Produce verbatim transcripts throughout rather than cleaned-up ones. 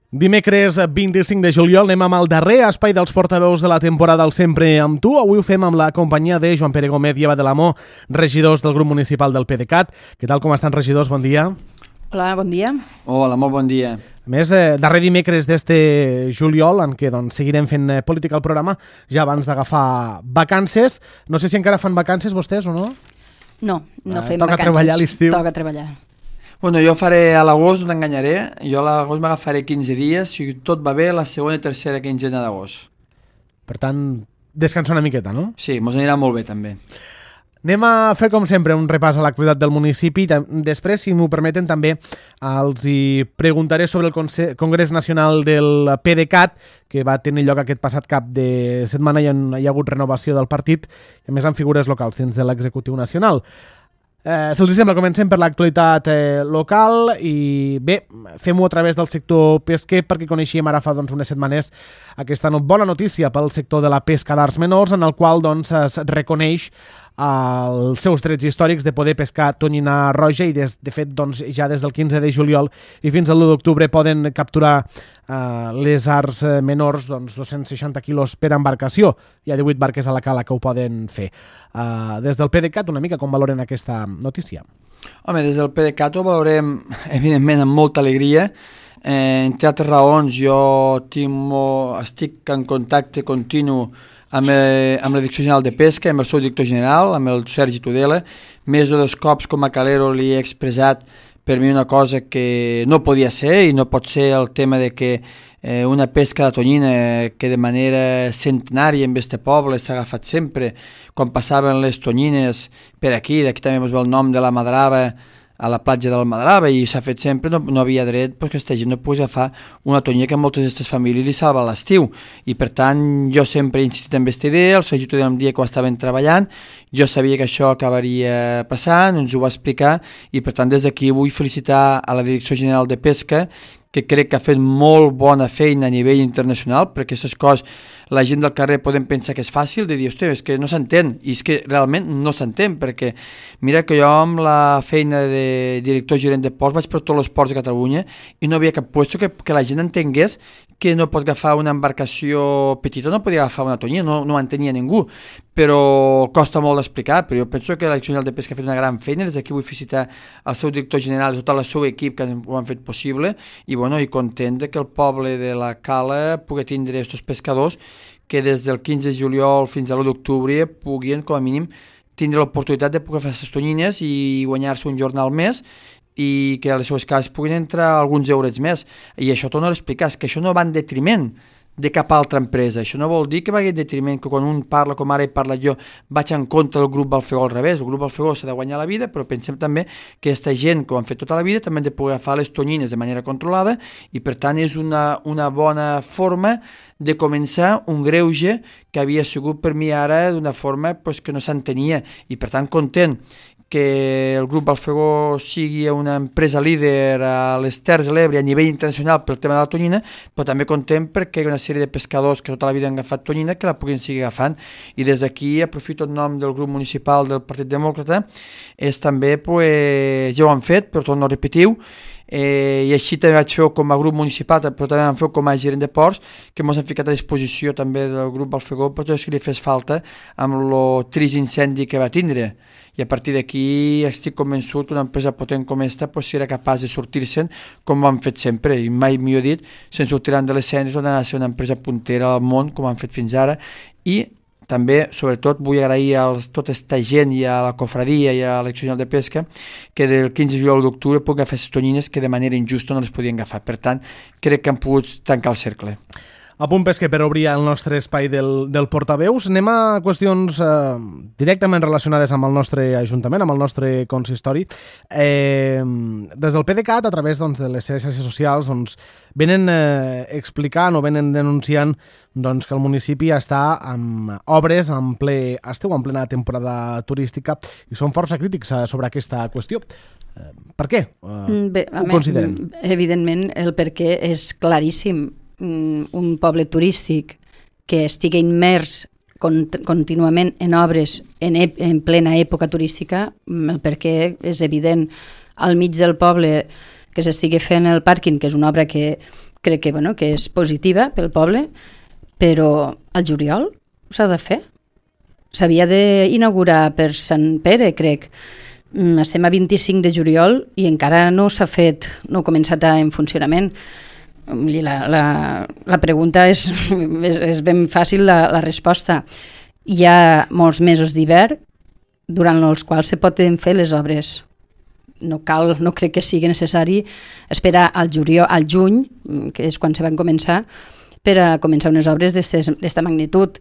Dimecres vint-i-cinc de juliol anem amb el darrer espai dels portaveus de la temporada al Sempre amb tu. Avui ho fem amb la companyia de Joan Pere Gómez i Eva de l'Amor, regidors del grup municipal del PDeCAT. Què tal, com estan, regidors? Bon dia. Hola, bon dia. Hola, molt bon dia. A més, eh, darrer dimecres d'este juliol, en què doncs, seguirem fent eh, política al programa, ja abans d'agafar vacances. No sé si encara fan vacances vostès o no? No, no Eh, fem toca vacances. treballar a l'estiu. Toca treballar. Bueno, jo faré a l'agost, no t'enganyaré, jo a l'agost m'agafaré quinze dies, si tot va bé, la segona i tercera quinzena d'agost. Per tant, descansar una miqueta, no? Sí, mos anirà molt bé també. Anem a fer, com sempre, un repàs a l'activitat del municipi. Després, si m'ho permeten, també els hi preguntaré sobre el Conse- Congrés Nacional del PDeCAT, que va tenir lloc aquest passat cap de setmana i hi ha hagut renovació del partit, i a més amb figures locals dins de l'executiu nacional. Eh, si els sembla, comencem per l'actualitat eh, local i bé, fem-ho a través del sector pesquer perquè coneixíem ara fa doncs, unes setmanes aquesta no, bona notícia pel sector de la pesca d'arts menors, en el qual doncs, es reconeix els seus drets històrics de poder pescar tonyina roja i des, de fet doncs, ja des del quinze de juliol i fins al l'u d'octubre poden capturar eh, les arts menors doncs, dos-cents seixanta quilos per embarcació. Hi ha divuit barques a la cala que ho poden fer. Eh, des del PDeCAT, una mica com valoren aquesta notícia? Home, des del PDeCAT ho valorem evidentment amb molta alegria. Eh, entre altres raons, jo tinc molt, estic en contacte continu amb, eh, amb la Direcció General de Pesca, amb el seu director general, amb el Sergi Tudela. Més de dos cops com a calero li he expressat per mi una cosa que no podia ser i no pot ser el tema de que eh, una pesca de tonyina que de manera centenària en este poble s'ha agafat sempre, quan passaven les tonyines per aquí, d'aquí també es ve el nom de la Madrava, a la platja del Madrava, i s'ha fet sempre, no, no havia dret pues, que aquesta gent no pogués agafar una tonyina que a moltes d'aquestes famílies li salva l'estiu, i per tant jo sempre he insistit en aquesta idea, el Sergi Tudela em dia que ho estaven treballant, jo sabia que això acabaria passant, ens ho va explicar, i per tant des d'aquí vull felicitar a la Direcció General de Pesca, que crec que ha fet molt bona feina a nivell internacional, perquè aquestes coses la gent del carrer podem pensar que és fàcil, de dir, hòstia, és que no s'entén, i és que realment no s'entén, perquè mira que jo amb la feina de director gerent de ports vaig per tots els ports de Catalunya i no havia cap puesto que, que la gent entengués que no pot agafar una embarcació petita, no podia agafar una tonyina, no, no ho entenia ningú, però costa molt d'explicar, però jo penso que la Direcció General de Pesca ha fet una gran feina, des d'aquí vull felicitar el seu director general i tot el seu equip que ho han fet possible, i bueno, i content que el poble de la Cala pugui tindre aquests pescadors que des del quinze de juliol fins a l'u d'octubre puguin, com a mínim, tindre l'oportunitat de poder fer aquestes tonyines i guanyar-se un jornal més i que a les seves cases puguin entrar alguns eurets més. I això torno a explicar, és que això no va en detriment de cap altra empresa. Això no vol dir que vagi en detriment, que quan un parla, com ara he parlat jo, vaig en contra del grup Balfegó al revés. El grup Balfegó s'ha de guanyar la vida, però pensem també que aquesta gent que ho han fet tota la vida també han de poder agafar les tonyines de manera controlada i per tant és una, una bona forma de començar un greuge que havia sigut per mi ara d'una forma pues, que no s'entenia i per tant content que el grup Balfegó sigui una empresa líder a les Terres de l'Ebre a nivell internacional pel tema de la tonyina, però també content perquè hi ha una sèrie de pescadors que tota la vida han agafat tonyina que la puguin seguir agafant. I des d'aquí aprofito el nom del grup municipal del Partit Demòcrata, és també, pues, ja ho han fet, però torno a repetir-ho, Eh, i així també vaig fer com a grup municipal, però també vam fer com a gerent de ports, que ens han ficat a disposició també del grup Balfegó per tot el que li fes falta amb el trist incendi que va tindre. I a partir d'aquí estic convençut que una empresa potent com aquesta pues, serà capaç de sortir-se'n com ho han fet sempre, i mai millor dit, se'n sortiran de les cendres on ha de ser una empresa puntera al món com han fet fins ara. I també, sobretot, vull agrair a tota aquesta gent i a la cofradia i a la Direcció General de Pesca que del quinze de juliol d'octubre puguin agafar aquestes tonyines que de manera injusta no les podien agafar. Per tant, crec que han pogut tancar el cercle. A punt pesquer per obrir el nostre espai del, del portaveus. Anem a qüestions eh, directament relacionades amb el nostre Ajuntament, amb el nostre consistori. Eh, des del PDeCAT, a través doncs, de les xarxes socials, doncs, venen eh, explicant o venen denunciant doncs, que el municipi està amb obres en ple estiu, en plena temporada turística, i són força crítics eh, sobre aquesta qüestió. Eh, per què? Eh, Bé, ho consideren? Evidentment, el perquè és claríssim. Un poble turístic que estigui immers cont contínuament en obres en, en plena època turística, el perquè és evident. Al mig del poble que s'estigui fent el pàrquing, que és una obra que, crec que, bueno, que és positiva pel poble, però al juliol s'ha de fer. S'havia d'inaugurar per Sant Pere, crec. Estem a vint-i-cinc de juliol i encara no s'ha fet, no ha començat en funcionament. La, la, la pregunta és, és, és ben fàcil, la, la resposta. Hi ha molts mesos d'hivern durant els quals se poden fer les obres. No cal, no crec que sigui necessari esperar al juliol, al juny, que és quan se van començar, per a començar unes obres d'aquesta magnitud.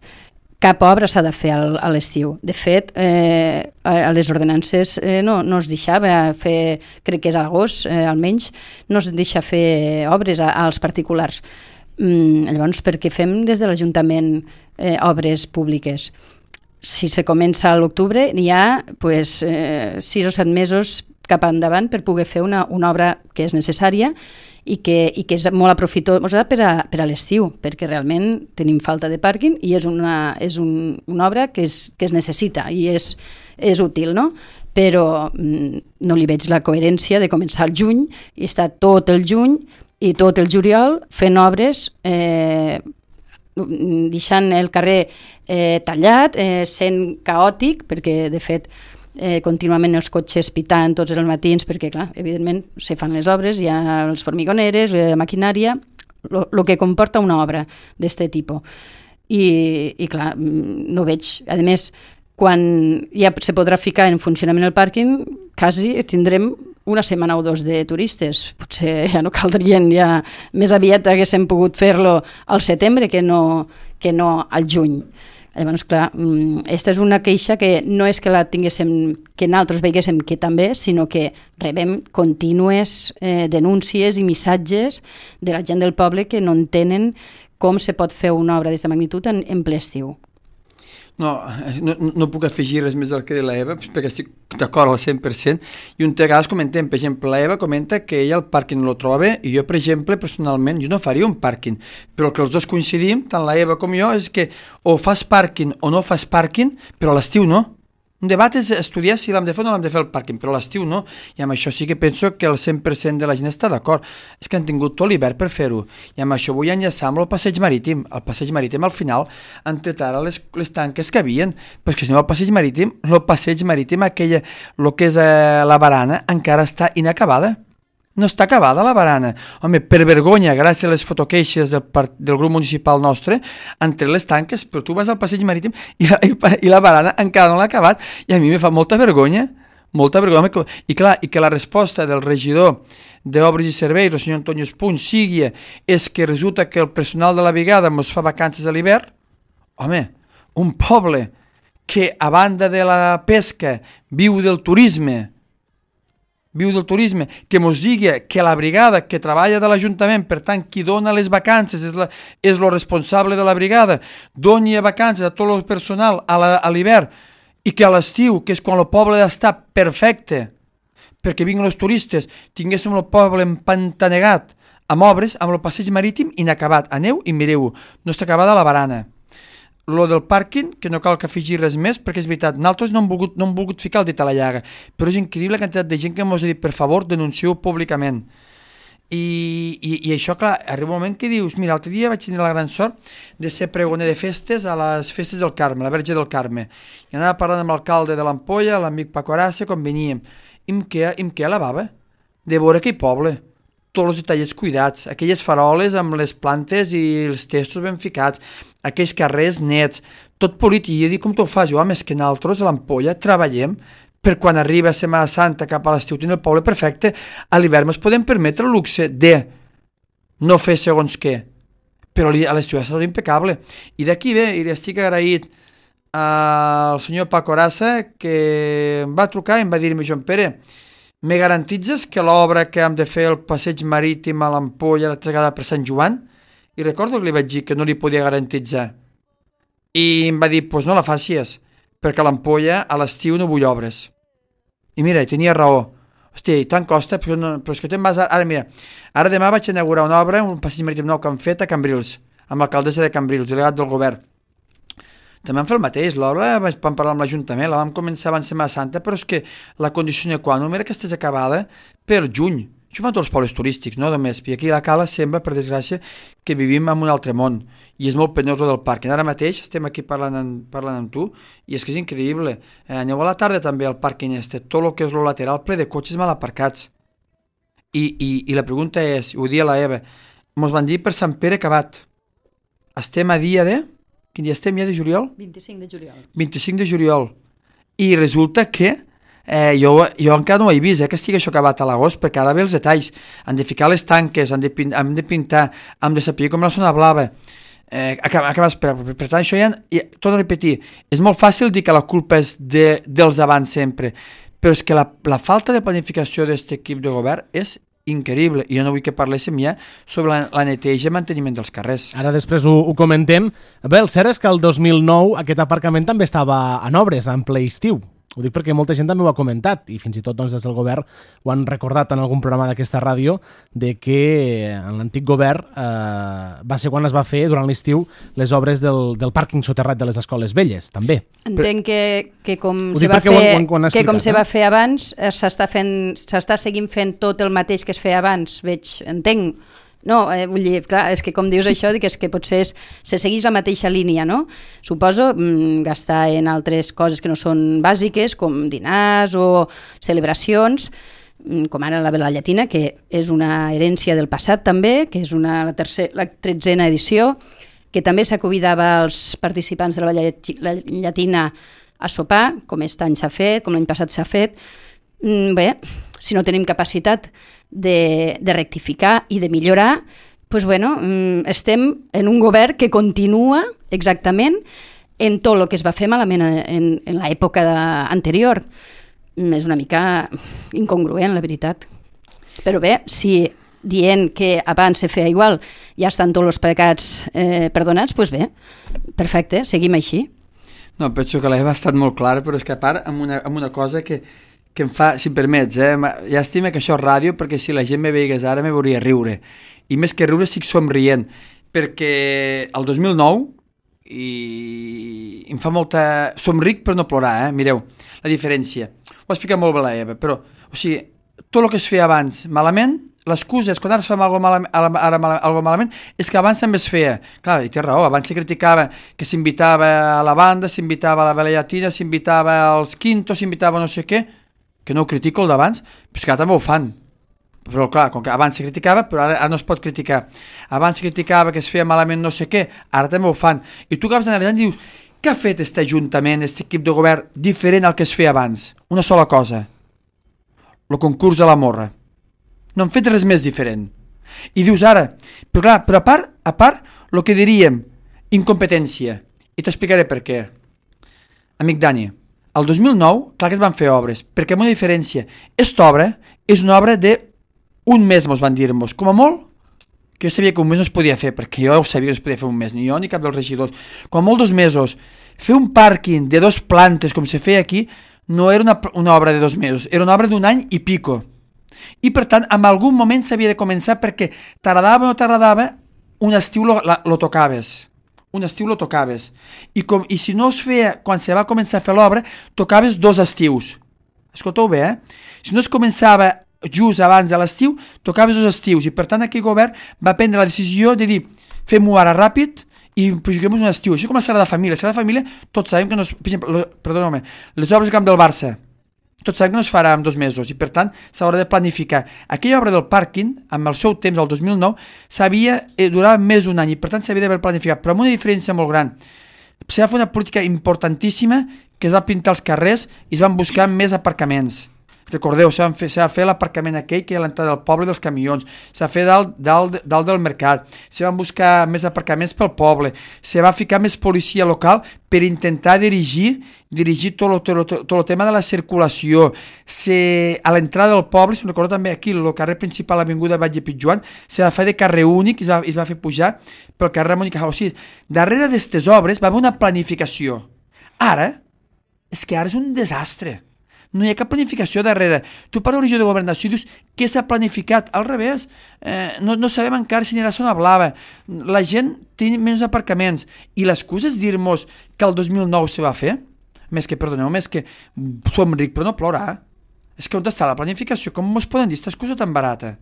Cap obra s'ha de fer al, a l'estiu. De fet, eh, a les ordenances eh, no, no es deixava fer, crec que és a l'agost, eh, almenys, no es deixa fer obres a, als particulars. Mm, llavors, per què fem des de l'Ajuntament eh, obres públiques? Si se comença a l'octubre, n'hi ha pues, eh, sis o set mesos cap endavant per poder fer una, una obra que és necessària i que, i que és molt aprofitosa per a, per a l'estiu, perquè realment tenim falta de pàrquing i és una, és un, una obra que es, que es necessita i és, és útil, no? Però mm, no li veig la coherència de començar al juny i estar tot el juny i tot el juliol fent obres, eh, deixant el carrer eh, tallat, eh, sent caòtic, perquè de fet Eh, contínuament els cotxes pitant tots els matins perquè, clar, evidentment se fan les obres, hi ha els formigoneres, la maquinària, el que comporta una obra d'aquest tipus. I, i clar, no veig. A més, quan ja se podrà ficar en funcionament el pàrquing, quasi tindrem una setmana o dos de turistes. Potser ja no caldrien, ja més aviat haguéssim pogut fer-lo al setembre que no, que no al juny. Llavors, clar, aquesta és una queixa que no és que la tinguéssim, que nosaltres veiguéssim que també, sinó que rebem contínues eh, denúncies i missatges de la gent del poble que no entenen com se pot fer una obra d'aquesta magnitud en, en ple estiu. No, no, no puc afegir res més del que de l'Eva, perquè estic d'acord al cent per cent, i un vegades comentem, per exemple, l'Eva comenta que ella el pàrquing no lo troba bé, i jo, per exemple, personalment, jo no faria un pàrquing, però el que els dos coincidim, tant l'Eva com jo, és que o fas pàrquing o no fas pàrquing, però a l'estiu no. Un debat és estudiar si l'hem de fer o no l'hem de fer el pàrquing, però a l'estiu no, i amb això sí que penso que el cent per cent de la gent està d'acord. És que han tingut tot l'hivern per fer-ho, i amb això vull enllaçar amb el passeig marítim. El passeig marítim al final han tret ara les, les tanques que havien, però és que si no el passeig marítim, el passeig marítim, aquella, el que és eh, la barana, encara està inacabada. No està acabada la barana. Home, per vergonya, gràcies a les fotoqueixes del, del grup municipal nostre, han tret les tanques, però tu vas al passeig marítim i la, i la barana encara no l'ha acabat, i a mi me fa molta vergonya, molta vergonya. I clar, i que la resposta del regidor d'Obres i Serveis, el senyor Antonio Espuny, sigui és que resulta que el personal de la brigada ens fa vacances a l'hivern. Home, un poble que a banda de la pesca viu del turisme, viu del turisme, que mos digui que la brigada que treballa de l'Ajuntament, per tant, qui dona les vacances és, la, és lo responsable de la brigada, doni vacances a tot el personal a l'hivern, i que a l'estiu, que és quan el poble està perfecte, perquè vinguin els turistes, tinguéssim el poble empantanegat amb obres, amb el passeig marítim inacabat. Aneu i mireu, no està acabada la barana. Lo del pàrquing, que no cal que afegir res més, perquè és veritat, nosaltres no hem volgut, no hem volgut ficar el dit a la llaga, però és increïble la quantitat de gent que ens ha dit, per favor, denuncieu públicament. I, i, i això, clar, arriba un moment que dius, mira, l'altre dia vaig tenir la gran sort de ser pregoner de festes a les festes del Carme, la Verge del Carme. I anava parlant amb l'alcalde de l'Ampolla, l'amic Paco Arassa, quan veníem. I em queda, em queda la bava de veure aquell poble. Tots els detallets cuidats, aquelles faroles amb les plantes i els testos ben ficats, aquells carrers nets, tot polit. I jo dic, com t'ho fas? Jo, home, és que nosaltres a l'Ampolla treballem per quan arriba a Setmana Santa cap a l'estiu tenir el poble perfecte. A l'hivern ens podem permetre el luxe de no fer segons què, però a l'estiu ha estat impecable. I d'aquí ve, i li estic agraït al senyor Paco Arassa, que em va trucar i em va dir-me, Joan Pere, me garantitzes que l'obra que hem de fer el passeig marítim a l'Ampolla l'altra vegada per Sant Joan? I recordo que li vaig dir que no li podia garantitzar. I em va dir, doncs pues no la facis, perquè a l'Ampolla a l'estiu no vull obres. I mira, tenia raó. Hòstia, i tant costa, però, no, però és que te'n vas... Ara, mira, ara demà vaig inaugurar una obra, un passeig marítim nou que han fet a Cambrils, amb l'alcaldessa de Cambrils, delegat del govern. També vam fer el mateix, l'obra vam parlar amb l'Ajuntament, la vam començar abans de Setmana Santa, però és que la condició sine qua non era que estigués acabada per juny, Això fan tots els pobles turístics, no només. I aquí a la Cala sembla, per desgràcia, que vivim en un altre món i és molt penyós del parc. I ara mateix estem aquí parlant amb, parlant amb tu i és que és increïble. Eh, aneu a la tarda també al parc este, tot el que és el lateral ple de cotxes mal aparcats. I, i, i la pregunta és, ho dia la Eva, mos van dir per Sant Pere acabat. Estem a dia de... Quin dia estem ja de juliol? vint-i-cinc de juliol. vint-i-cinc de juliol. I resulta que Eh, jo, jo encara no ho he vist, eh, que estigui això acabat a l'agost, perquè ara ve els detalls. Han de ficar les tanques, han de, pin, han de pintar, han de saber com la zona blava. Eh, acaba, acaba, per, per, per tant, això ja, ja, torno a repetir, és molt fàcil dir que la culpa és de, dels abans sempre, però és que la, la falta de planificació d'aquest equip de govern és increïble, i jo no vull que parléssim ja sobre la, la neteja i manteniment dels carrers. Ara després ho, ho comentem. Bé, el cert és que el dos mil nou aquest aparcament també estava en obres, en ple estiu. Ho dic perquè molta gent també ho ha comentat i fins i tot doncs, des del govern ho han recordat en algun programa d'aquesta ràdio de que en l'antic govern eh, va ser quan es va fer durant l'estiu les obres del, del pàrquing soterrat de les escoles velles, també. Entenc que, que com, Ho se dic va, perquè fer, ho han- ho han que explicat, com se eh? va fer abans, eh, s'està fent, s'està seguint fent tot el mateix que es feia abans, veig, entenc. No, eh, vull dir, clar, és que com dius això, dic, és que potser és, se segueix la mateixa línia, no? Suposo mm, gastar en altres coses que no són bàsiques, com dinars o celebracions, mm, com ara la Vela Llatina, que és una herència del passat també, que és una, la, tercer, la tretzena edició, que també s'aconvidava als participants de la Vella Llatina a sopar, com aquest any s'ha fet, com l'any passat s'ha fet. Mm, bé, si no tenim capacitat de, de rectificar i de millorar, pues bueno, estem en un govern que continua exactament en tot el que es va fer malament en, en l'època anterior. És una mica incongruent, la veritat. Però bé, si dient que abans se feia igual ja estan tots els pecats eh, perdonats, doncs bé, perfecte, seguim així. No, penso que l'Eva ha estat molt clara, però és que a part amb una, amb una cosa que que em fa, si em permets, eh? Llàstima que això és ràdio, perquè si la gent me veigués ara me veuria riure. I més que riure estic somrient, perquè el dos mil nou i em fa molta... Somric per no plorar, eh? Mireu, la diferència. Ho ha explicat molt bé la Eva, però, o sigui, tot el que es feia abans malament, l'excusa és quan ara es fa algo malament, ara algo malament, és que abans també es feia. Clar, i té raó, abans se criticava que s'invitava a la banda, s'invitava a la Vela Llatina, s'invitava als quintos, s'invitava no sé què, que no ho critico el d'abans, però és que ara també ho fan. Però clar, com que abans se criticava, però ara, ara no es pot criticar. Abans se criticava que es feia malament no sé què, ara també ho fan. I tu acabes d'analitzar i dius, què ha fet aquest ajuntament, aquest equip de govern, diferent al que es feia abans? Una sola cosa, el concurs de la morra. No han fet res més diferent. I dius ara, però clar, però a part, a part, el que diríem, incompetència. I t'explicaré per què. Amic Dani, el dos mil nou, clar que es van fer obres, perquè amb una diferència. Esta obra és una obra de un mes, mos van dir-nos, com a molt, que jo sabia que un mes no es podia fer, perquè jo ho sabia que no es podia fer un mes, ni jo ni cap dels regidors. Com a molt dos mesos, fer un pàrquing de dos plantes, com se feia aquí, no era una, una obra de dos mesos, era una obra d'un any i pico. I per tant, en algun moment s'havia de començar perquè t'agradava o no t'agradava, un estiu lo, la, lo tocaves. Un estiu lo tocaves. I, com, I si no es feia, quan se va començar a fer l'obra, tocaves dos estius. Escolteu bé, eh? Si no es començava just abans de l'estiu, tocaves dos estius. I per tant aquest govern va prendre la decisió de dir, fem-ho ara ràpid i projectem un estiu. Això com la Sagrada Família. La Sagrada Família, tots sabem que no es... Per exemple, perdona-me, les obres del camp del Barça, tots sabem que no es farà en dos mesos i per tant s'haurà de planificar. Aquella obra del pàrquing, amb el seu temps, el dos mil nou, s'havia eh, durat més d'un any i per tant s'havia d'haver planificat, però amb una diferència molt gran. S'ha de fer una política importantíssima que es va pintar els carrers i es van buscar més aparcaments. Recordeu, s'ha de fer, fer l'aparcament aquell que hi ha a l'entrada del poble dels camions, s'ha de fer dalt, dalt, dalt del mercat, se van buscar més aparcaments pel poble, se va ficar més policia local per intentar dirigir dirigir tot el, tot, tot el tema de la circulació. Se, a l'entrada del poble, si no recordo també aquí, el carrer principal, l'avinguda Batlle Pitjoan, se va fer de carrer únic i es va, es va fer pujar pel carrer Ramon i Cajal. O sigui, darrere d'aquestes obres va haver una planificació. Ara, és que ara és un desastre. No hi ha cap planificació darrere. Tu parles d'origen de governació i dius què s'ha planificat. Al revés, eh, no, no sabem encara si anirà a zona blava. La gent té menys aparcaments. I l'excusa és dir-nos que el dos mil nou se va fer? Més que, perdoneu, més que som ric però no plorar. És que on està la planificació? Com ens poden dir aquesta excusa tan barata?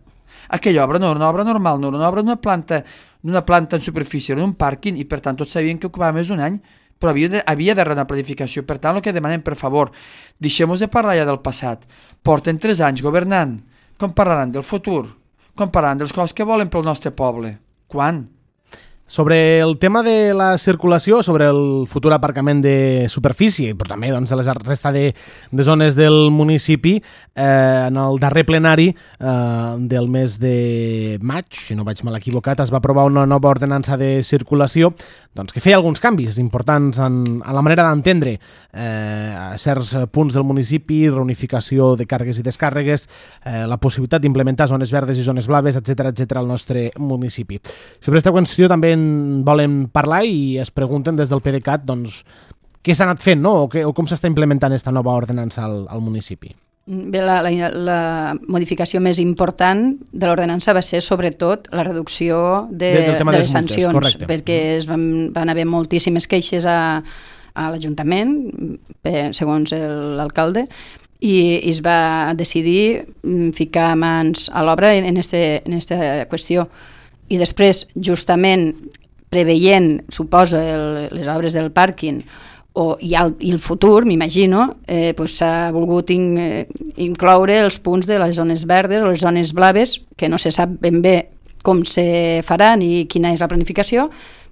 Aquella obra no era una obra normal, no era una obra d'una planta, d'una planta en superfície, era un pàrquing, i per tant tots sabien que ocupava més d'un any, però havia de, havia de rebre una planificació. Per tant, el que demanem, per favor, deixem-nos de parlar ja del passat. Porten tres anys governant. Com parlaran del futur? Com parlaran dels coses que volen pel nostre poble? Quan? Sobre el tema de la circulació, sobre el futur aparcament de superfície, però també doncs, de la resta de, de zones del municipi, eh, en el darrer plenari eh, del mes de maig, si no vaig mal equivocat, es va aprovar una nova ordenança de circulació doncs, que feia alguns canvis importants en, en la manera d'entendre eh, a certs punts del municipi, reunificació de càrregues i descàrregues, eh, la possibilitat d'implementar zones verdes i zones blaves, etcètera, etcètera al nostre municipi. Sobre aquesta qüestió també volen parlar i es pregunten des del PDeCAT doncs, què s'ha anat fent, no? o, que, o com s'està implementant aquesta nova ordenança al, al municipi. Bé, la, la, la modificació més important de l'ordenança va ser sobretot la reducció de, de, de les sancions, multes, perquè es van, van haver moltíssimes queixes a, a l'Ajuntament, segons l'alcalde, i, i es va decidir ficar mans a l'obra en aquesta qüestió. I després, justament, preveient, suposo, el, les obres del pàrquing o, i, el, i el futur, m'imagino, eh, pues s'ha volgut in, eh, incloure els punts de les zones verdes o les zones blaves, que no se sap ben bé com se farà ni quina és la planificació,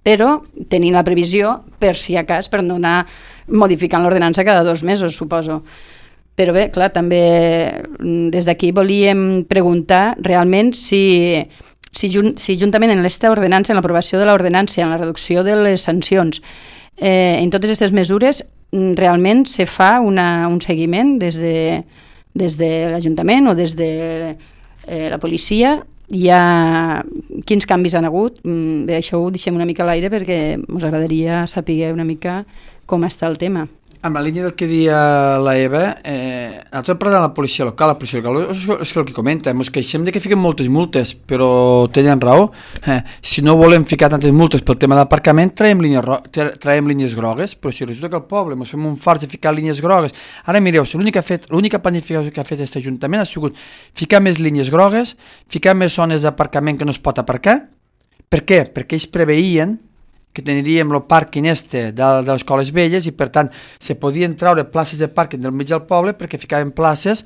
però tenint la previsió, per si a cas, per no anar modificant l'ordenança cada dos mesos, suposo. Però bé, clar, també des d'aquí volíem preguntar realment si... Si, jun, si juntament en l'esta ordenança, en l'aprovació de l'ordenança, en la reducció de les sancions, eh, en totes aquestes mesures, realment se fa una, un seguiment des de, des de l'Ajuntament o des de eh, la policia? Hi ha... Quins canvis han hagut? Bé, això ho deixem una mica a l'aire perquè ens agradaria saber una mica com està el tema. En la línia del que dia la Eva, eh, nosaltres parlant de la policia local, la policia local és, és el que comenta, ens queixem de que fiquen moltes multes, però tenen raó. Eh, si no volem ficar tantes multes pel tema d'aparcament, traiem línies, traiem línies grogues, però si resulta que al poble ens fem un fars de ficar línies grogues. Ara mireu, l'única planificació que ha fet aquest Ajuntament ha sigut ficar més línies grogues, ficar més zones d'aparcament que no es pot aparcar. Per què? Perquè ells preveïen que tindríem el pàrquing este de, de les escoles velles i per tant se podien treure places de pàrquing del mig del poble perquè ficaven places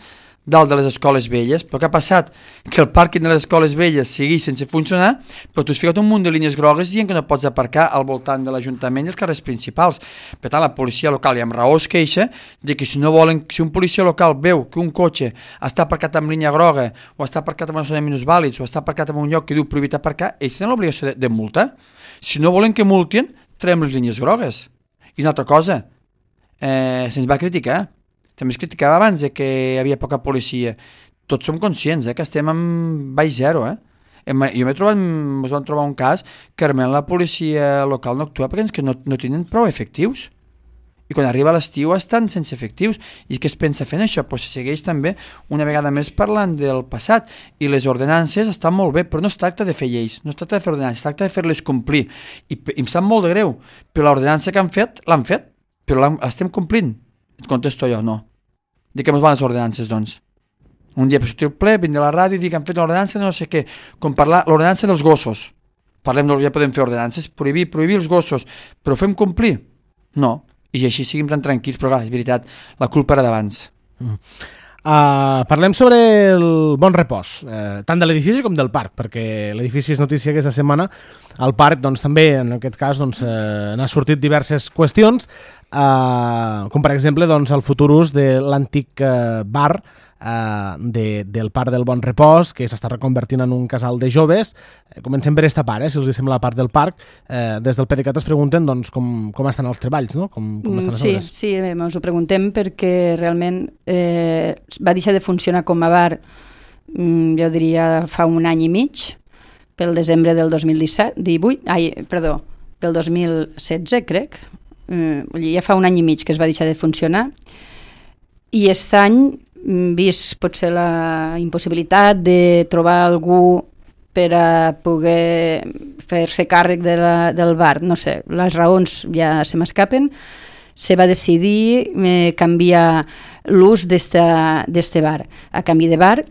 dalt de les escoles velles. Però què ha passat? Que el pàrquing de les escoles velles seguís sense funcionar, però tu has ficat un munt de línies grogues dient que no pots aparcar al voltant de l'Ajuntament i els carrers principals. Per tant, la policia local, i amb raó es queixa, de que si no volen, si un policia local veu que un cotxe està aparcat amb línia groga o està aparcat amb una zona de minusvàlids o està aparcat en un lloc que diu prohibit aparcar, ells tenen l'obligació de, de multa. Si no volen que multin, traiem les línies grogues. I una altra cosa, eh, se'ns va criticar. També es criticava abans de que hi havia poca policia. Tots som conscients eh, que estem en baix zero. Eh? Jo m'he trobat, ens vam trobar un cas que realment la policia local no actua perquè que no, no tenen prou efectius. I quan arriba l'estiu estan sense efectius. I què es pensa fent això? Pues se segueix també una vegada més parlant del passat. I les ordenances estan molt bé, però no es tracta de fer lleis, no es tracta de fer ordenances, es tracta de fer-les complir. I, i em sap molt de greu, però l'ordenança que han fet, l'han fet, però l'estem complint. Et contesto jo, no. De què ens van les ordenances, doncs? Un dia per sortir el ple, vindre a la ràdio i dir que han fet l'ordenança de no sé què, com parlar l'ordenança dels gossos. Parlem, ja podem fer ordenances, prohibir, prohibir els gossos, però fem complir? No. I així siguem tan tranquils, però clar, és veritat, la culpa era d'abans. Mm. Uh, parlem sobre el Bon Repòs, uh, tant de l'edifici com del parc, perquè l'edifici és notícia aquesta setmana. Al parc, doncs, també, en aquest cas, doncs, uh, n'ha sortit diverses qüestions, uh, com per exemple doncs, el futur ús de l'antic uh, bar Uh, de, del parc del Bon Repòs, que s'està reconvertint en un casal de joves. Eh, comencem per esta part, eh, si els sembla la part del parc. Eh, des del PDeCAT es pregunten doncs, com, com estan els treballs, no? Com, com estan les sí, obres. Sí, ens ho preguntem perquè realment eh, va deixar de funcionar com a bar, mm, jo diria, fa un any i mig, pel desembre del dos mil disset, divuit, ai, perdó, pel dos mil setze, crec. Mm, ja fa un any i mig que es va deixar de funcionar. I aquest any, vist potser la impossibilitat de trobar algú per a poder fer-se càrrec de la, del bar, no sé, les raons ja se m'escapen, se va decidir eh, canviar l'ús d'este bar. A canvi de bar,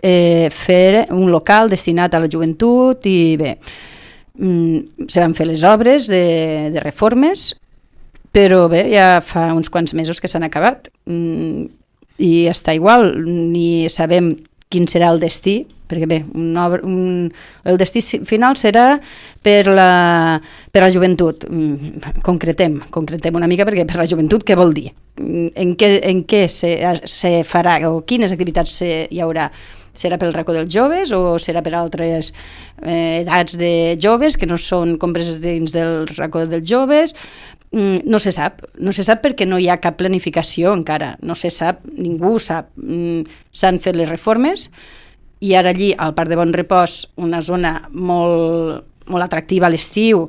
eh, fer un local destinat a la joventut i bé, mm, se van fer les obres de, de reformes, però bé, ja fa uns quants mesos que s'han acabat mm, i està igual, ni sabem quin serà el destí, perquè bé, un, un, el destí final serà per la, per la joventut. Concretem, concretem una mica, perquè per la joventut què vol dir? En què, en què se, se farà o quines activitats se, hi haurà? Serà pel racó dels joves o serà per altres eh, edats de joves que no són compreses dins del racó dels joves? No se sap, no se sap perquè no hi ha cap planificació encara, no se sap, ningú sap. S'han fet les reformes i ara allí, al Parc de Bon Repòs, una zona molt, molt atractiva a l'estiu,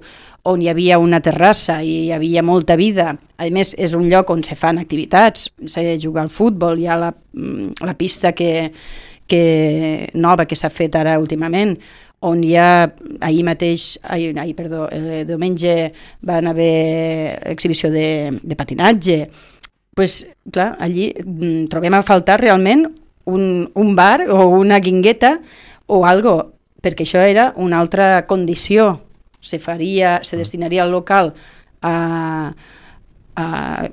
on hi havia una terrassa i hi havia molta vida. A més, és un lloc on se fan activitats, se juga al futbol, hi ha la, la pista que, que, nova que s'ha fet ara últimament, on hi ha, ahir mateix, ahir, ahir, perdó, eh, diumenge van haver exhibició de, de patinatge. Pues, clar, allí mm, trobem a faltar realment un, un bar o una guingueta o algo, perquè això era una altra condició. Se faria, se destinaria el local a, a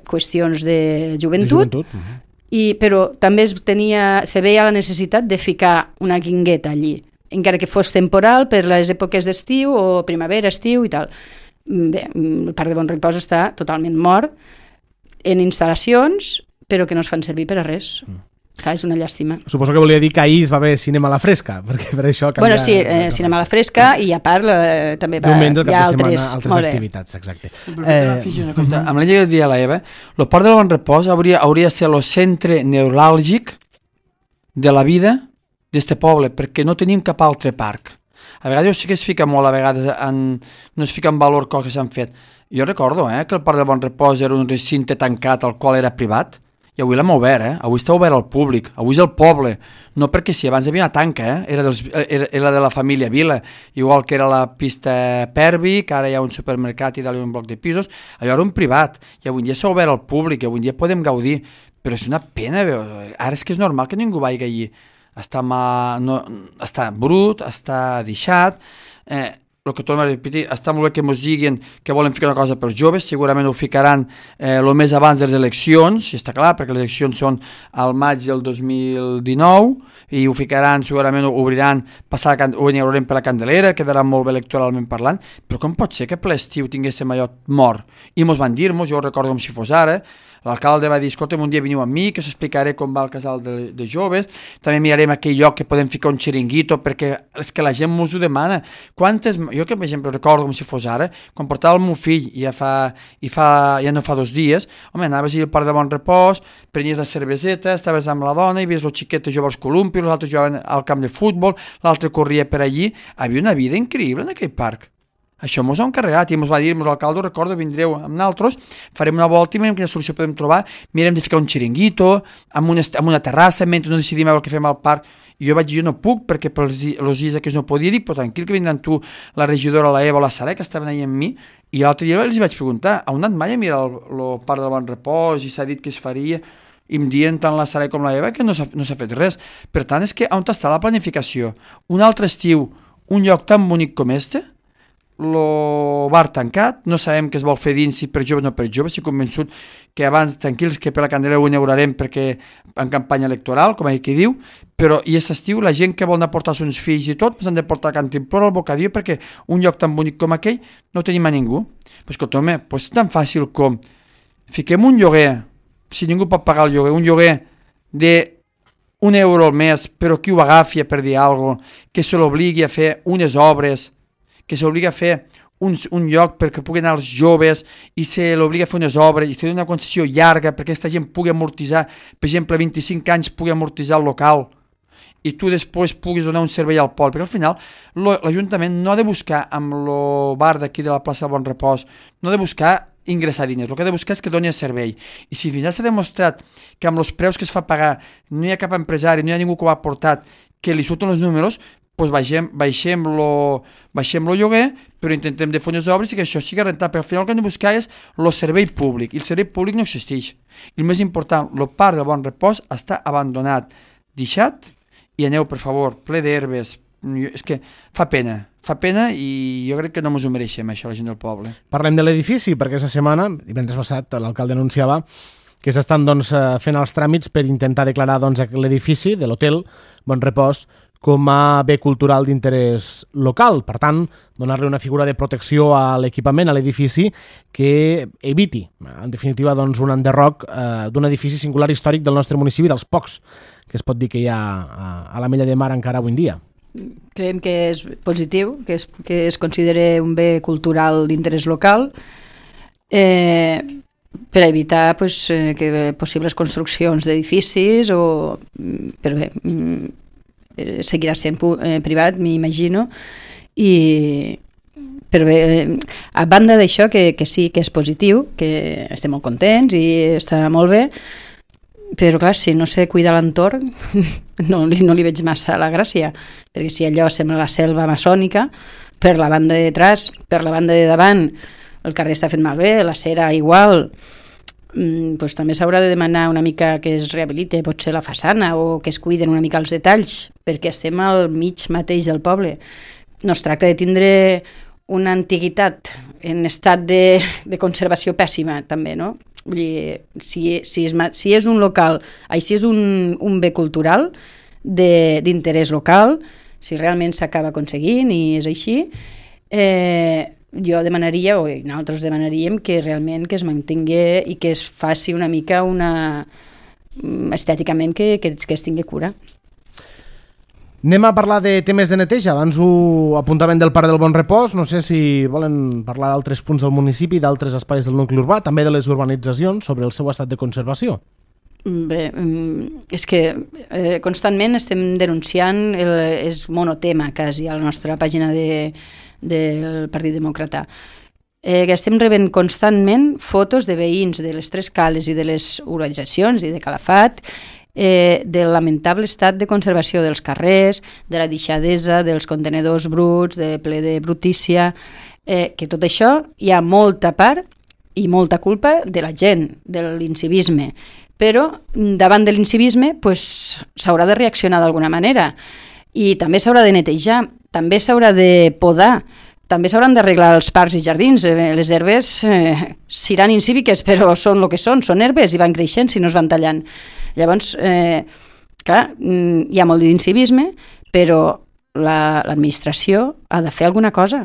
qüestions de joventut, de joventut. Uh-huh. I, però també es tenia, se veia la necessitat de ficar una guingueta allí, encara que fos temporal per les èpoques d'estiu o primavera, estiu i tal. Bé, el Parc de Bon Repòs està totalment mort en instal·lacions, però que no es fan servir per a res. Mm. Clar, és una llàstima. Suposo que volia dir que ahir es va haver cinema a la fresca, perquè per això canvia... Bueno, sí, eh, cinema a la fresca i a part eh, també va, diumenge, hi ha altres, altres, altres activitats, exacte. Eh, una cosa, amb la llei que deia la Eva, el Parc de Bon Repòs hauria, hauria de ser el centre neuràlgic de la vida d'este poble, perquè no tenim cap altre parc. A vegades sí que es fica molt, a vegades en, no es fica en valor coses que s'han fet. Jo recordo eh, que el Parc de Bon Repòs era un recinte tancat al qual era privat, i avui l'hem obert, eh? Avui està obert al públic, avui és el poble, no perquè sí, abans hi havia una tanca, eh? era, dels, era, era de la família Vila, igual que era la pista Pervi, que ara hi ha un supermercat i dalt un bloc de pisos, allò era un privat, i avui dia s'ha obert al públic, i avui dia podem gaudir, però és una pena, veu? Ara és que és normal que ningú vagi allí, està, ma, no, està brut, està deixat, eh, el que torno a repetir, està molt bé que ens diguin que volen ficar una cosa pels joves, segurament ho ficaran eh, el més abans de les eleccions, i està clar, perquè les eleccions són al maig del dos mil dinou, i ho ficaran, segurament ho obriran, passar, ho inaugurarem per la Candelera, quedarà molt bé electoralment parlant, però com pot ser que per l'estiu tinguéssim allò mort? I mos van dir-nos, jo ho recordo com si fos ara, l'alcalde va dir, escolta'm, un dia veniu amb mi, que us explicaré com va el casal de, de joves, també mirarem aquell lloc que podem ficar un xiringuito, perquè és que la gent mos ho demana. Quantes, jo que per exemple recordo com si fos ara, quan portava el meu fill, ja, fa, i fa, ja no fa dos dies, home, anaves al Parc de Bon Repòs, prenies la cerveseta, estaves amb la dona, i veies el xiquet jugar als columpios, l'altre jugaven al camp de futbol, l'altre corria per allí, havia una vida increïble en aquell parc. Això mos ha encarregat i mos va dir, mos l'alcalde, recordo, vindreu amb nosaltres, farem una volta i mirem quina solució podem trobar, mirem de ficar un xiringuito, amb una, amb una terrassa, mentre no decidim el que fem al parc. I jo vaig dir, jo no puc, perquè per els dies que no podia dir, però tranquil que vindran tu, la regidora, la Eva o la Sara, que estaven allà amb mi, i l'altre dia els vaig preguntar, on anat mai a mirar el, el Parc de Bon Repòs i s'ha dit que es faria, i em diuen tant la Sara com la Eva que no s'ha, no s'ha fet res. Per tant, és que on està la planificació? Un altre estiu, un lloc tan bonic com este, el bar tancat, no sabem què es vol fer dins, si per joves o no per joves, estic convençut que abans, tranquils, que per la Candelera ho inaugurarem perquè en campanya electoral, com aquí diu, però i aquest estiu la gent que vol anar a portar els seus fills i tot, s'han de portar a Cantimplora al Bocadillo, perquè un lloc tan bonic com aquell no tenim a ningú. Pues escolta, home, pues és tan fàcil com fiquem un lloguer, si ningú pot pagar el lloguer, un lloguer de un euro al mes, però qui ho agafi per dir alguna cosa, que se l'obligui a fer unes obres, que s'obliga a fer un, un lloc perquè puguin anar els joves i se l'obliga a fer unes obres i fer una concessió llarga perquè aquesta gent pugui amortitzar, per exemple, vint-i-cinc anys pugui amortitzar el local i tu després puguis donar un servei al poble, perquè al final lo, l'Ajuntament no ha de buscar amb el bar d'aquí de la plaça del Bon Repòs, no ha de buscar ingressar diners, el que ha de buscar és que doni el servei. I si fins ara s'ha demostrat que amb els preus que es fa pagar no hi ha cap empresari, no hi ha ningú que ho ha portat, que li surten els números, doncs baixem, baixem lo, baixem lo lloguer, però intentem de fer unes obres i que això sigui rentable. Al final el que hem de buscar és el servei públic, i el servei públic no existeix. I el més important, el parc del Bon Repòs està abandonat, deixat, i aneu, per favor, ple d'herbes. És que fa pena, fa pena i jo crec que no ens ho mereixem, això, la gent del poble. Parlem de l'edifici, perquè aquesta setmana, divendres passat, l'alcalde anunciava que s'estan doncs, fent els tràmits per intentar declarar doncs, l'edifici de l'hotel Bon Repòs com a bé cultural d'interès local. Per tant, donar-li una figura de protecció a l'equipament, a l'edifici, que eviti, en definitiva, doncs, un enderroc eh, d'un edifici singular històric del nostre municipi, dels pocs que es pot dir que hi ha a, a la Mella de Mar encara avui en dia. Creiem que és positiu, que es, que es consideri un bé cultural d'interès local, eh, per evitar pues, eh, que possibles construccions d'edificis o... Però bé, seguirà sent eh, privat, m'imagino, i però bé, a banda d'això que, que sí que és positiu, que estem molt contents i està molt bé, però clar, si no sé cuidar l'entorn no, no li veig massa la gràcia, perquè si allò sembla la selva maçònica, per la banda de detrás, per la banda de davant el carrer està fet malbé, la cera igual, pues també s'haurà de demanar una mica que es rehabilite potser la façana o que es cuiden una mica els detalls, perquè estem al mig mateix del poble. No es tracta de tindre una antiguitat en estat de, de conservació pèssima també, no? Vull dir, si, si, és, si és un local, així és un, un bé cultural d'interès local, si realment s'acaba aconseguint i és així, eh, jo demanaria, o nosaltres demanaríem que realment que es mantingui i que es faci una mica una estèticament que, que, que es tingui cura. Anem a parlar de temes de neteja. Abans ho apuntaven del Parc del Bon Repòs. No sé si volen parlar d'altres punts del municipi, d'altres espais del nucli urbà, també de les urbanitzacions, sobre el seu estat de conservació. Bé, és que eh, constantment estem denunciant, el, és monotema quasi a la nostra pàgina de del Partit Demòcrata. Eh, que estem rebent constantment fotos de veïns de les Tres Cales i de les urbanitzacions i de Calafat, eh, del lamentable estat de conservació dels carrers, de la deixadesa, dels contenedors bruts, de ple de brutícia, eh, que tot això hi ha molta part i molta culpa de la gent, de l'incivisme. Però davant de l'incivisme pues, s'haurà de reaccionar d'alguna manera i també s'haurà de netejar, també s'haurà de podar, també s'hauran d'arreglar els parcs i jardins. Les herbes eh, seran incíviques, però són el que són, són herbes i van creixent si no es van tallant. Llavors, eh, clar, hi ha molt d'incivisme, però la, l'administració ha de fer alguna cosa.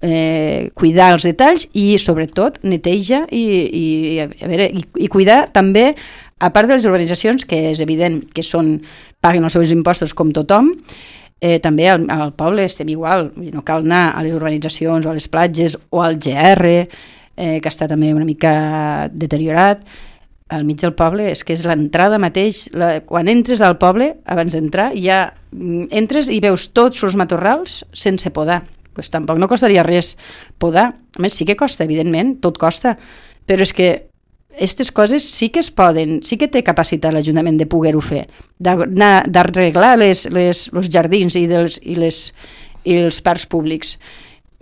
Eh, cuidar els detalls i, sobretot, neteja i, i, a veure, i, i cuidar també, a part de les organitzacions, que és evident que són, paguen els seus impostos com tothom, Eh, també al, al poble estem igual, no cal anar a les urbanitzacions o a les platges o al G R, eh, que està també una mica deteriorat. Al mig del poble és que és l'entrada mateix, la, quan entres al poble, abans d'entrar, ja entres i veus tots els matorrals sense podar. Pues tampoc no costaria res podar. A més, sí que costa, evidentment, tot costa, però és que aquestes coses sí que es poden, sí que té capacitat l'Ajuntament de poder-ho fer, d'arreglar les, les, els jardins i, dels, i, les, i els parcs públics.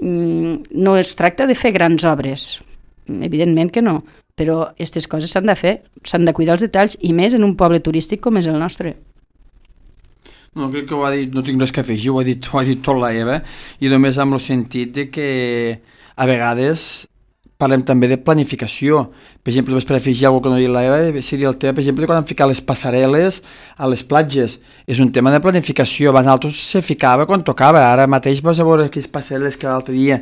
No es tracta de fer grans obres, evidentment que no, però aquestes coses s'han de fer, s'han de cuidar els detalls, i més en un poble turístic com és el nostre. No, crec que ho ha dit, no tinc res que afegir, ho ha dit, ho ha dit tot la Eva, i només amb el sentit de que a vegades parlem també de planificació. Per exemple, només per afegir alguna cosa que no ha dit la Eva, seria el tema, per exemple, quan han ficat les passarel·les a les platges. És un tema de planificació. Abans nosaltres se ficava quan tocava. Ara mateix vas a veure aquelles passarel·les que l'altre dia,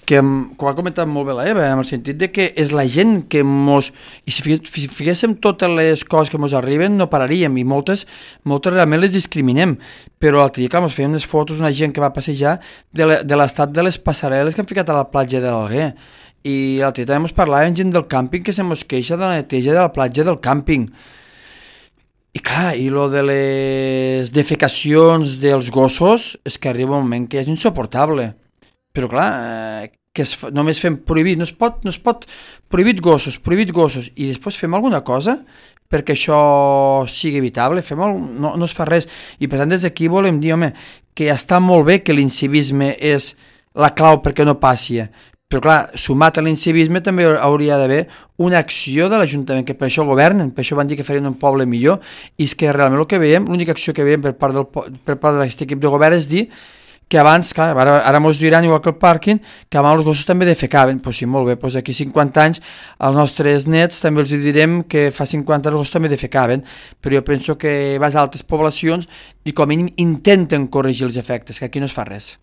que, com ha comentat molt bé la Eva, en el sentit de que és la gent que mos... I si figuéssim totes les coses que mos arriben, no pararíem, i moltes, moltes realment les discriminem. Però l'altre dia, clar, mos feien unes fotos una gent que va passejar de l'estat de les passarel·les que han ficat a la platja de l'Alguer. I l'altre dia també ens parlàvem gent del càmping que se mos queixa de la neteja de la platja del càmping. I clar, i lo de les defecacions dels gossos és que arriba un moment que és insuportable. Però clar, eh, que es, només fem prohibit, no es pot, no es pot prohibit gossos, prohibit gossos, i després fem alguna cosa perquè això sigui evitable, fem el, no, no es fa res. I per tant des d'aquí volem dir, home, que està molt bé que l'incivisme és la clau perquè no passi, però clar, sumat a l'incivisme també hauria d'haver una acció de l'Ajuntament, que per això governen, per això van dir que farien un poble millor, i és que realment el que veiem, l'única acció que veiem per part del, per part d'aquest equip de govern és dir que abans, clar, ara, ara mos diran igual que el pàrquing, que abans els gossos també defecaven. Doncs sí, molt bé, doncs aquí cinquanta anys als nostres nets també els direm que fa cinquanta anys els gossos també defecaven, però jo penso que vas a altres poblacions i com a mínim intenten corregir els efectes, que aquí no es fa res.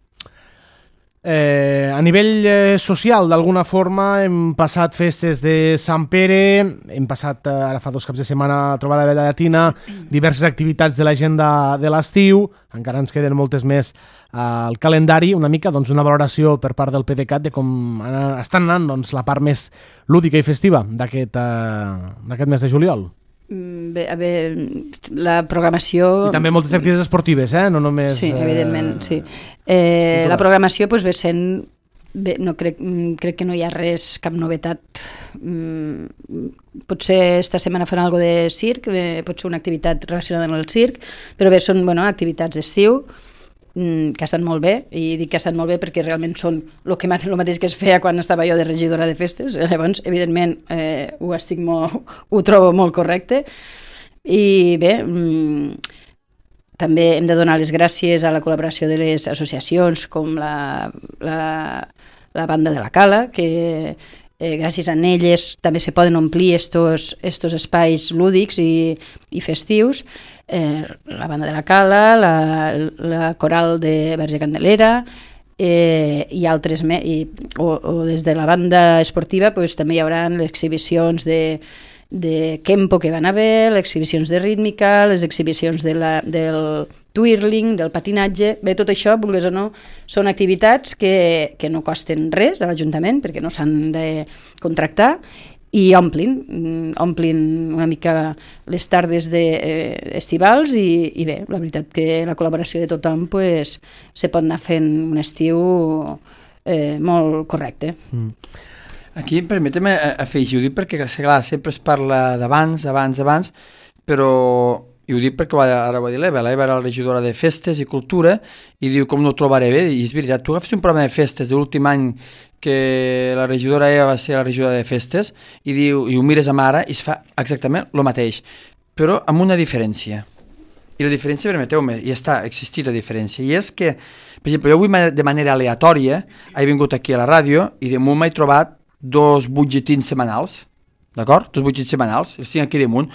Eh, a nivell eh, social, d'alguna forma, hem passat festes de Sant Pere, hem passat eh, ara fa dos caps de setmana trobada de la Llatina, diverses activitats de l'agenda de l'estiu, encara ens queden moltes més al calendari, una mica doncs, una valoració per part del PDeCAT de com estan anant doncs, la part més lúdica i festiva d'aquest eh, d'aquest mes de juliol. Bé, a veure, la programació... I també moltes activitats esportives, eh? No només... Sí, evidentment, sí. Eh, la programació doncs, ve sent... Bé, no crec, crec que no hi ha res, cap novetat. Mm, potser esta setmana fan alguna de circ, eh, pot ser una activitat relacionada amb el circ, però bé, són bueno, activitats d'estiu, que estan molt bé, i dic que estan molt bé perquè realment són el que el mateix que es feia quan estava jo de regidora de festes. Llavors, evidentment, eh, ho estic molt, ho trobo molt correcte. I bé, mmm, també hem de donar les gràcies a la col·laboració de les associacions com la, la, la Banda de la Cala, que eh, gràcies a elles també se poden omplir estos, estos espais lúdics i, i festius. Eh, la Banda de la Cala, la, la Coral de Verge Candelera eh, i altres me, i, o, o des de la banda esportiva pues, també hi haurà les exhibicions de, de Kempo que van haver, les exhibicions de rítmica, les exhibicions de la, del twirling, del patinatge. Bé, tot això, vulguis o no, són activitats que, que no costen res a l'Ajuntament perquè no s'han de contractar i omplin, omplin una mica les tardes de, eh, estivals i, i bé, la veritat que la col·laboració de tothom pues, se pot anar fent un estiu eh, molt correcte. Mm. Aquí permetem afegir, ho dic perquè clar, sempre es parla d'abans, abans, abans, però i ho dic perquè ara ho va dir l'Eva, l'Eva era la regidora de Festes i Cultura i diu com no ho trobaré bé, i és veritat, tu agafes un programa de festes de l'últim any que la regidora Eva va ser la regidora de Festes i, diu, i ho mires amb ara i es fa exactament el mateix, però amb una diferència. I la diferència, permeteu-me, ja està, existit la diferència, i és que, per exemple, jo avui de manera aleatòria he vingut aquí a la ràdio i de munt m'he trobat dos butlletins setmanals, d'acord? Dos butlletins setmanals, els tinc aquí damunt,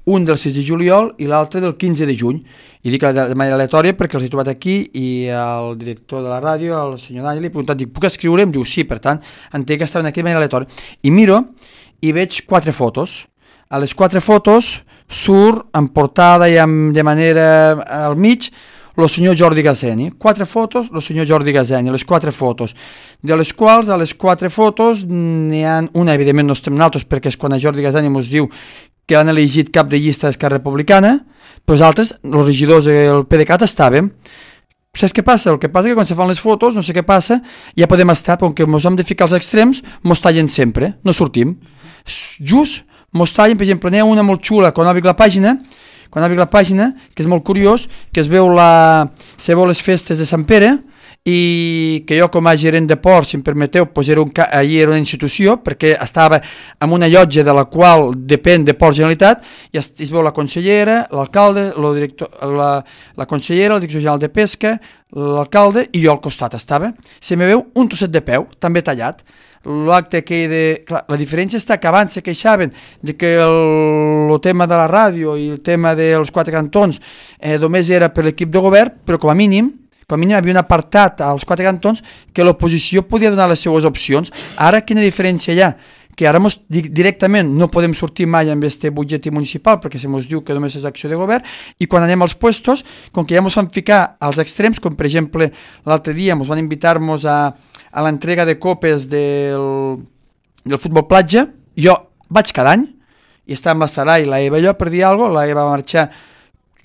un del sis de juliol i l'altre del quinze de juny. I dic de manera aleatòria perquè els he trobat aquí i el director de la ràdio, el senyor Daniel, li he preguntat, dic, puc escriure? Em diu sí, per tant, entenc que estaven aquí de manera aleatòria. I miro i veig quatre fotos. A les quatre fotos surt en portada i amb, de manera al mig el senyor Jordi Gazeni. Quatre fotos, el senyor Jordi Gazeni, les quatre fotos. De les quals, a les quatre fotos, n'hi ha una, evidentment no estem nosaltres, perquè és quan a Jordi Gazeni ens diu que han elegit cap de llista d'Esquerra Republicana, però els altres, els regidors del PDeCAT estàvem. Saps què passa? El que passa que quan se fan les fotos, no sé què passa, ja podem estar, però com que ens hem de ficar als extrems, mos tallen sempre, no sortim. Just, mos tallen, per exemple, n'hi ha una molt xula, quan obric la pàgina, quan obric la pàgina, que és molt curiós, que es veu, la, se veu les festes de Sant Pere, i que jo com a gerent de port, si em permeteu, pues era un, allí era una institució perquè estava en una llotja de la qual depèn de Port Generalitat i es, es veu la consellera, l'alcalde, la, la consellera, el director general de pesca, l'alcalde i jo al costat estava. Se me veu un trosset de peu, també tallat. L'acte que de... Clar, la diferència està que abans se queixaven de que el, el tema de la ràdio i el tema dels quatre cantons eh, només era per l'equip de govern, però com a mínim com a mínim hi havia un apartat als quatre cantons que l'oposició podia donar les seues opcions. Ara quina diferència hi ha? Que ara mos, directament no podem sortir mai amb este butlletí municipal perquè se mos diu que només és acció de govern i quan anem als puestos, com que ja mos van ficar als extrems, com per exemple l'altre dia mos van invitar-nos a, a l'entrega de copes del, del futbol platja, jo vaig cada any i estava amb l'Estarai, la Eva i jo per dir alguna cosa, la Eva va marxar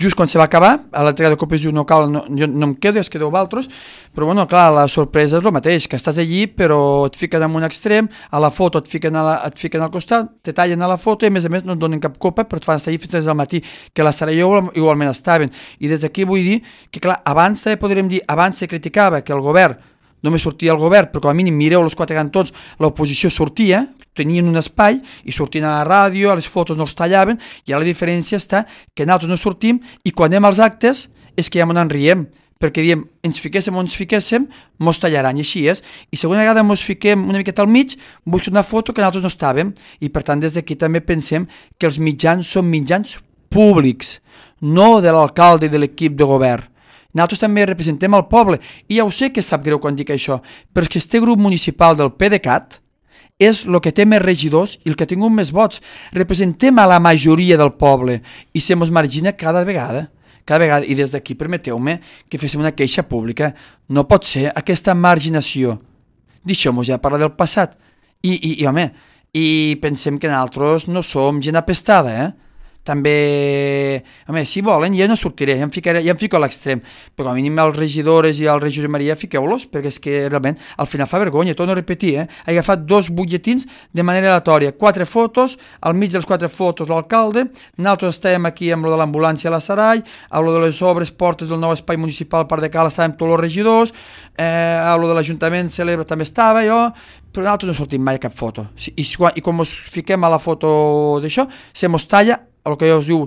just quan se va acabar, a l'entrega de còpies diu no cal, no, jo no em quedo, es quedeu vosaltres, però bueno, clar, la sorpresa és el mateix, que estàs allí però et fiquen en un extrem, a la foto et fiquen, a la, et fiquen al costat, te tallen a la foto i a més a més no et donen cap copa però et fan estar allí fins al matí, que la Sara i jo igualment estaven, i des d'aquí vull dir que clar, abans també podríem dir, abans se criticava que el govern, només sortia el govern, però com a mínim mireu els quatre cantons, l'oposició sortia, tenien un espai i sortien a la ràdio, a les fotos no els tallaven, i ara la diferència està que nosaltres no sortim i quan anem als actes és que ja m'ho enriem, perquè diem, ens fiquéssim o ens fiquéssim, mos tallaran, i així és. I segona vegada mos fiquem una miqueta al mig, busco una foto que nosaltres no estàvem, i per tant des d'aquí també pensem que els mitjans són mitjans públics, no de l'alcalde i de l'equip de govern. Nosaltres també representem el poble, i ja ho sé que sap greu quan dic això, però és que este grup municipal del PDeCAT és el que té més regidors i el que ha tingut més vots. Representem a la majoria del poble i se mos margina cada vegada. Cada vegada, i des d'aquí permeteu-me que féssim una queixa pública. No pot ser aquesta marginació. Deixem-nos ja parlar del passat. I, i, i home, i pensem que nosaltres no som gent apestada, eh? També, home, si volen, ja no sortiré, ja em, ficaré, ja em fico a l'extrem, però a mínim els regidores i el regidor Maria fiqueu-los, perquè és que realment al final fa vergonya, torno a repetir, eh? He agafat dos butlletins de manera aleatòria, quatre fotos, al mig dels quatre fotos l'alcalde, nosaltres estàvem aquí amb lo de l'ambulància a la Sarai, amb lo de les obres, portes del nou espai municipal Parc de Cal estàvem tots els regidors, eh, amb lo de l'Ajuntament Celebra també estava jo, però nosaltres no sortim mai a cap foto, i, i, i com ens fiquem a la foto d'això, se mos talla el que ja us diu,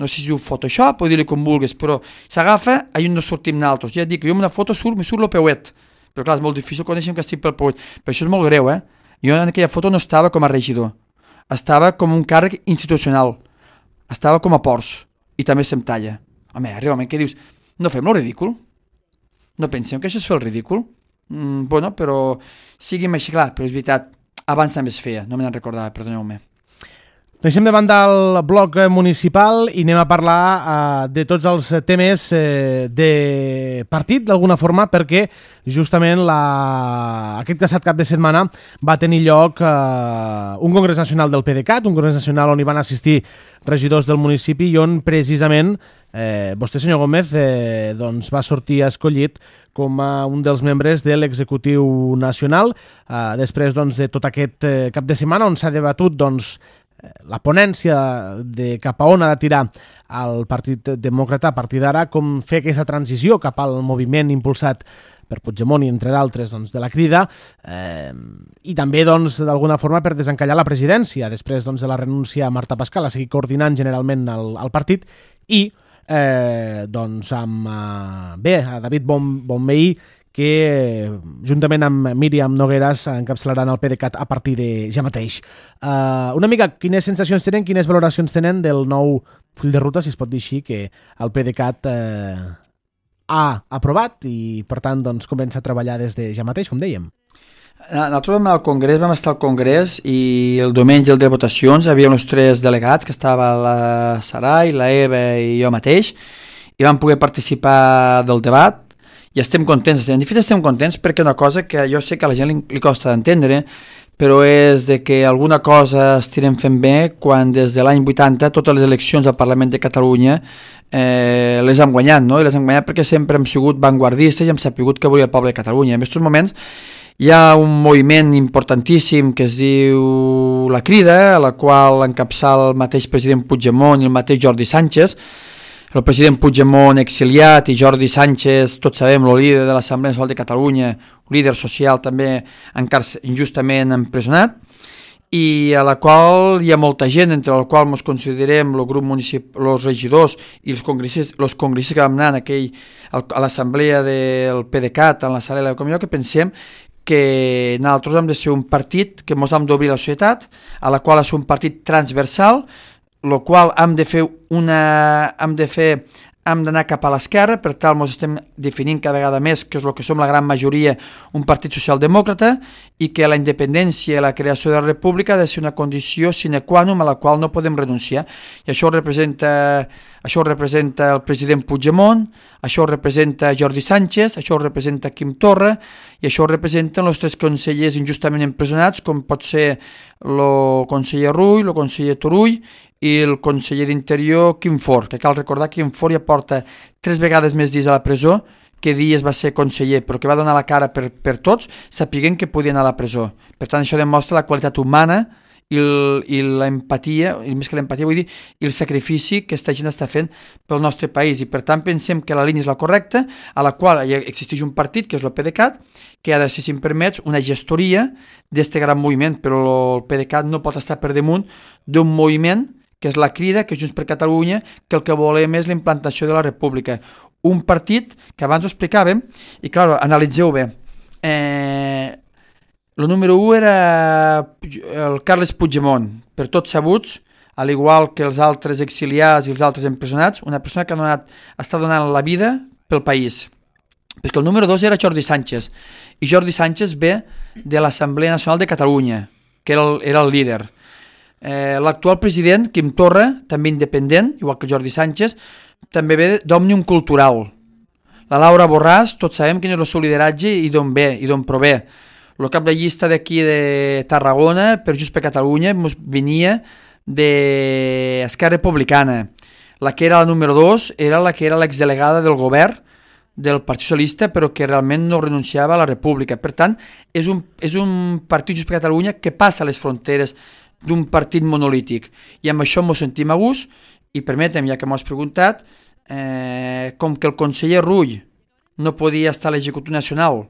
no sé si diu Photoshop o dir-li com vulguis, però s'agafa i no sortim naltros. Ja et dic que jo en una foto surt, me surt el peuet, però clar, és molt difícil conèixer que estic pel peuet, però això és molt greu, eh? Jo en aquella foto no estava com a regidor, estava com un càrrec institucional, estava com a Ports, i també se'm talla. Home, realment, què dius? No fem el ridícul? No pensem que això és fer el ridícul? Mm, bueno, però siguin així, clar, però és veritat, abans també es feia, no me n'en recordava, perdoneu-me. Deixem de banda el bloc municipal i anem a parlar uh, de tots els temes uh, de partit, d'alguna forma, perquè justament la... aquest passat cap de setmana va tenir lloc uh, un congrés nacional del PDeCAT, un congrés nacional on hi van assistir regidors del municipi i on precisament eh, vostè, senyor Gómez, eh, doncs va sortir escollit com a un dels membres de l'executiu nacional, uh, després doncs, de tot aquest eh, cap de setmana on s'ha debatut doncs, la ponència de cap a on ha de tirar el Partit Demòcrata a partir d'ara, com fer aquesta transició cap al moviment impulsat per Puigdemont i entre d'altres doncs, de la Crida, eh, i també doncs, d'alguna forma per desencallar la presidència després doncs, de la renúncia a Marta Pascal a seguir coordinant generalment el, el partit i eh, doncs, amb eh, bé, a David bon, Bonvehí, que juntament amb Míriam Nogueras encapçalaran el PDeCAT a partir de ja mateix. Uh, una mica, quines sensacions tenen, quines valoracions tenen del nou full de ruta, si es pot dir així, que el PDeCAT uh, ha aprovat i, per tant, doncs, comença a treballar des de ja mateix, com dèiem. Nosaltres vam al Congrés, vam estar al Congrés i el diumenge el de votacions hi havia uns tres delegats, que estava la Sarai, la Eva i jo mateix, i vam poder participar del debat. I estem contents, en fet estem contents perquè una cosa que jo sé que a la gent li, li costa d'entendre, però és de que alguna cosa estirem fent bé quan des de l'any vuitanta totes les eleccions al Parlament de Catalunya eh, les hem guanyat, no? I les hem guanyat perquè sempre hem sigut vanguardistes i hem sapigut que volia el poble de Catalunya. En aquests moments hi ha un moviment importantíssim que es diu La Crida, a la qual encapçala el mateix president Puigdemont i el mateix Jordi Sánchez, el president Puigdemont exiliat i Jordi Sánchez, tots sabem, el líder de l'Assemblea Nacional de Catalunya, líder social també injustament empresonat, i a la qual hi ha molta gent, entre la qual ens considerem el grup municipal, els regidors i els congressistes, els congressistes que vam anar en aquell, a l'assemblea del PDeCAT, en la sala de la comissió, que pensem que nosaltres hem de ser un partit que ens hem d'obrir a la societat, a la qual és un partit transversal, el qual hem de fer una... hem de fer hem d'anar cap a l'esquerra, per tal ens estem definint cada vegada més que és el que som la gran majoria, un partit socialdemòcrata, i que la independència i la creació de la república ha de ser una condició sine qua non a la qual no podem renunciar. I això ho representa, això ho representa el president Puigdemont, això ho representa Jordi Sánchez, això ho representa Quim Torra, i això ho representen els tres consellers injustament empresonats, com pot ser el conseller Rull, el conseller Turull, i el conseller d'Interior, Quim Forn, que cal recordar que Quim Forn ja porta tres vegades més dies a la presó que dies va ser conseller, però que va donar la cara per, per tots, sapiguent que podia anar a la presó. Per tant, això demostra la qualitat humana i, el, i l'empatia, i més que l'empatia vull dir, i el sacrifici que aquesta gent està fent pel nostre país. I per tant pensem que la línia és la correcta, a la qual existeix un partit, que és el PDeCAT, que ha de ser, si em permets, una gestoria d'aquest gran moviment, però el PDeCAT no pot estar per damunt d'un moviment que és la Crida, que és Junts per Catalunya, que el que volem és la implantació de la República. Un partit que abans ho explicàvem, i clar, analitzeu bé, eh, el número u era el Carles Puigdemont, per tots sabuts, al igual que els altres exiliats i els altres empresonats, una persona que ha donat, està donant la vida pel país. Perquè el número dos era Jordi Sánchez, i Jordi Sánchez ve de l'Assemblea Nacional de Catalunya, que era el, era el líder. Eh, l'actual president, Quim Torra, també independent, igual que Jordi Sánchez, també ve d'Òmnium Cultural. La Laura Borràs, tots sabem quin és el seu lideratge i d'on ve, i d'on prové. El cap de llista d'aquí de Tarragona, per Junts per Catalunya, venia d'Esquerra Republicana. La que era la número dos era la que era l'exdelegada del govern del Partit Socialista, però que realment no renunciava a la República. Per tant, és un, és un partit Junts per Catalunya que passa les fronteres d'un partit monolític. I amb això ens sentim a gust, i permetem, ja que m'ho has preguntat, eh, com que el conseller Rull no podia estar a l'executiu nacional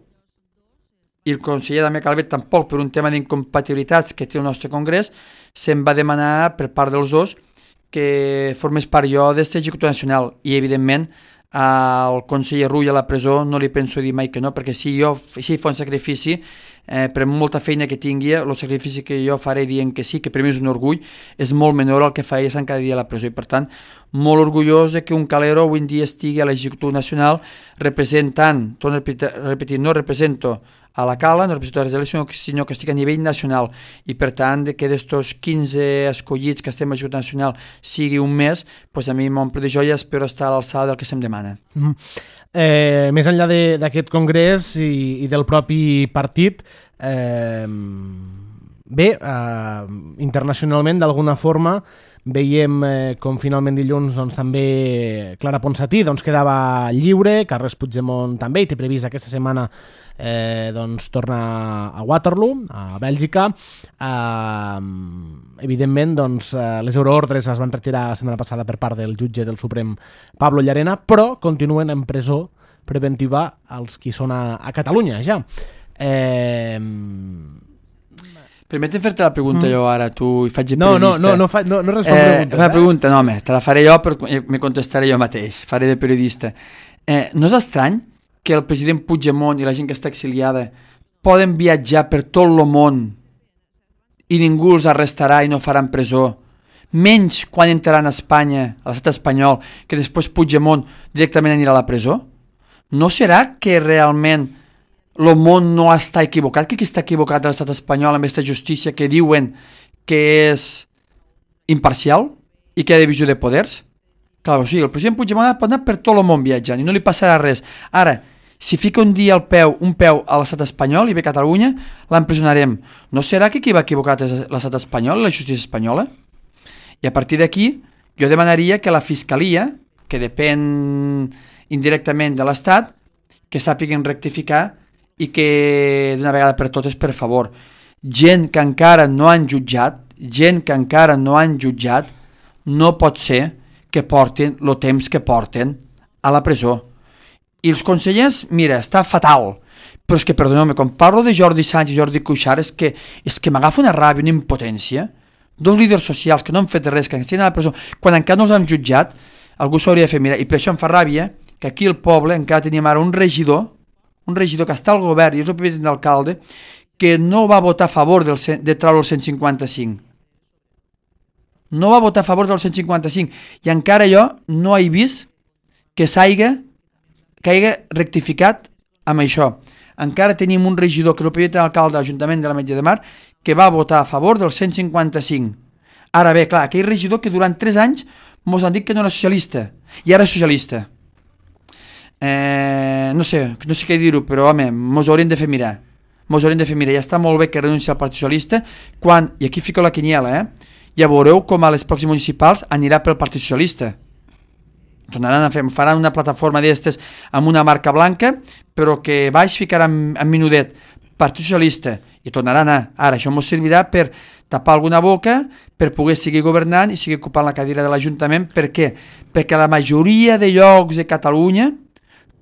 i el conseller Damià Calvet tampoc, per un tema d'incompatibilitats que té el nostre congrés, se'm va demanar per part dels dos que formés part jo d'aquest executiu nacional, i evidentment al conseller Rull a la presó no li penso dir mai que no, perquè si jo si fa un sacrifici, eh, per molta feina que tingui, el sacrifici que jo faré dient que sí, que per mi és un orgull, és molt menor al que faria estar cada dia a la presó, i per tant molt orgullós de que un calero avui en dia estigui a l'executiu nacional representant, torno a repetir, no represento a la Cala, no represento a les eleccions, sinó que estic a nivell nacional, i per tant de que d'estos quinze escollits que estem a l'executiu nacional sigui un mes, pues a mi m'omple de joia, espero estar a l'alçada del que se'm demana. Mm. Eh, més enllà d'aquest congrés i, i del propi partit, eh, bé, eh, internacionalment d'alguna forma veiem eh, com finalment dilluns doncs, també Clara Ponsatí doncs, quedava lliure, Carles Puigdemont també, i té previst aquesta setmana eh, doncs, tornar a Waterloo, a Bèlgica. Eh, evidentment, doncs, eh, les euroordres es van retirar la setmana passada per part del jutge del Suprem Pablo Llarena, però continuen en presó preventiva els qui són a, a Catalunya, ja. Eh... Permetem fer-te la pregunta mm. jo ara, tu hi faig de no, periodista. No, no, no, fa, no, no responc eh, preguntes. La eh? pregunta, no, home, te la faré jo, però me contestaré jo mateix, faré de periodista. Eh, no és estrany que el president Puigdemont i la gent que està exiliada poden viatjar per tot el món i ningú els arrestarà i no faran presó, menys quan entraran a Espanya, a l'estat espanyol, que després Puigdemont directament anirà a la presó? No serà que realment el món no està equivocat, que qui està equivocat a l'estat espanyol amb aquesta justícia que diuen que és imparcial i que hi ha divisió de poders? Clar, o sigui, el president Puigdemont pot anar per tot el món viatjant i no li passarà res. Ara, si fica un dia el peu, un peu a l'estat espanyol i ve a Catalunya, l'empresonarem. No serà que qui va equivocat és l'estat espanyol, la justícia espanyola? I a partir d'aquí, jo demanaria que la fiscalia, que depèn indirectament de l'estat, que sàpiguen rectificar i que d'una vegada per totes, per favor, gent que encara no han jutjat, gent que encara no han jutjat, no pot ser que porten el temps que porten a la presó. I els consellers, mira, està fatal, però és que, perdoneu-me, quan parlo de Jordi Sánchez i Jordi Cuixart, és que, és que m'agafa una ràbia, una impotència, dos líders socials que no han fet res, que estan a la presó, quan encara no els han jutjat, algú s'hauria de fer mirar, i per això em fa ràbia que aquí al poble encara tenim ara un regidor, un regidor que està al govern i és el primer d'alcalde, que no va votar a favor del, de treure el cent cinquanta-cinc. No va votar a favor del cent cinquanta-cinc. I encara jo no he vist que s'haiga que hagi rectificat amb això. Encara tenim un regidor que és el primer d'alcalde de l'Ajuntament de l'Ametlla de Mar que va votar a favor del cent cinquanta-cinc. Ara bé, clar, aquell regidor que durant tres anys mos han dit que no era socialista i ara és socialista. Eh, no sé, no sé què dir-ho, però home, mos haurien de fer mirar. Mos haurien de fer mirar. Ja està molt bé que renunci al Partit Socialista quan, i aquí fico la quiniela, eh? ja veureu com a les pròximes municipals anirà pel Partit Socialista. Tornaran a fer, faran una plataforma d'estes amb una marca blanca, però que baix ficaran en minudet Partit Socialista i tornaran a... Ara, això ens servirà per tapar alguna boca, per poder seguir governant i seguir ocupant la cadira de l'Ajuntament. Per què? Perquè la majoria de llocs de Catalunya,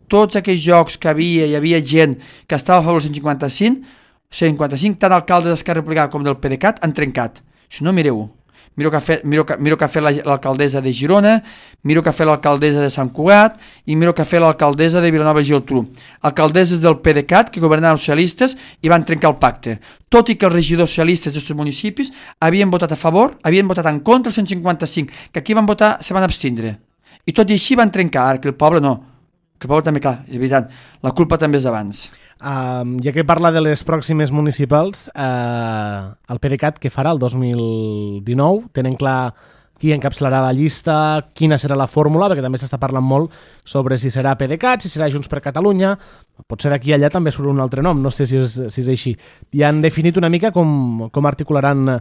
tots aquells llocs que havia, hi havia gent que estava a favor del cent cinquanta-cinc, cent cinquanta-cinc, tant alcaldes d'Esquerra Republicana com del PDeCAT han trencat. Si no, mireu, miro que ha fet, miro que, miro que ha fet l'alcaldessa de Girona, miro que ha fet l'alcaldessa de Sant Cugat i miro que ha fet l'alcaldessa de Vilanova i Geltrú. Alcaldesses del PDeCAT que governaven els socialistes i van trencar el pacte. Tot i que els regidors socialistes d'aquests municipis havien votat a favor, havien votat en contra el cent cinquanta-cinc, que aquí van votar, se van abstindre. I tot i així van trencar, ara que el poble no. Que el poble també, clar, és veritat, la culpa també és d'abans. Uh, ja que parla de les pròximes municipals, uh, el PDeCAT què farà el dos mil dinou? Tenen clar qui encapçalarà la llista, quina serà la fórmula, perquè també s'està parlant molt sobre si serà PDeCAT, si serà Junts per Catalunya, potser d'aquí allà també surt un altre nom, no sé si és, si és així. Ja han definit una mica com, com articularan eh,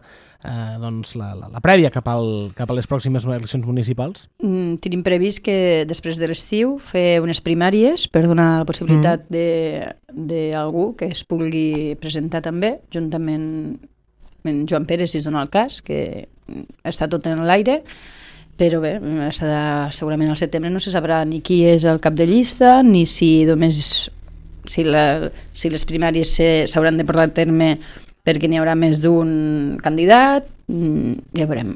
doncs la, la, la prèvia cap, al, cap a les pròximes eleccions municipals? Mm, tenim previst que després de l'estiu fer unes primàries per donar la possibilitat mm. d'algú que es pugui presentar també, juntament amb Joan Pere, si es dona el cas, que està tot en l'aire, però bé, segurament al setembre no se sabrà ni qui és el cap de llista, ni si només si, la, si les primàries s'hauran de portar a terme perquè n'hi haurà més d'un candidat, ja veurem.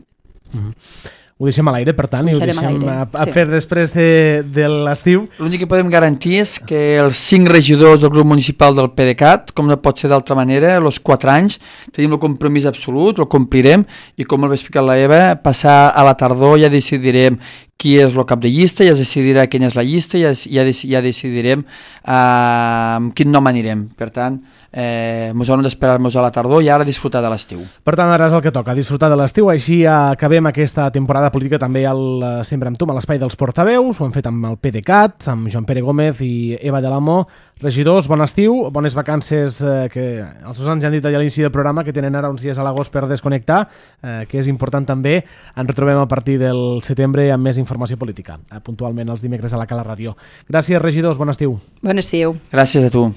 Mm-hmm. Ho deixem a l'aire, per tant, i ho deixem a, a sí. fer després de, de l'estiu. L'únic que podem garantir és que els cinc regidors del grup municipal del PDeCAT, com no pot ser d'altra manera, els quatre anys, tenim el compromís absolut, el complirem, i com el va explicar la Eva, passar a la tardor ja decidirem qui és el cap de llista, ja es decidirà quina és la llista, ja, ja, ja decidirem uh, amb quin nom anirem. Per tant, eh, ens haurem d'esperar-nos a la tardor i ara disfrutar de l'estiu. Per tant, ara és el que toca, disfrutar de l'estiu. Així acabem aquesta temporada política també al Sempre amb tu, a l'espai dels portaveus. Ho hem fet amb el PDeCAT, amb Joan Pere Gómez i Eva de l'Amo. Regidors, bon estiu, bones vacances, eh, que els Susans ja han dit a l'inici del programa que tenen ara uns dies a l'agost per desconnectar, eh, que és important també. Ens retrobem a partir del setembre amb més informació política, eh, puntualment els dimecres a la Cala Ràdio. Gràcies, regidors, bon estiu. Bon estiu. Gràcies a tu.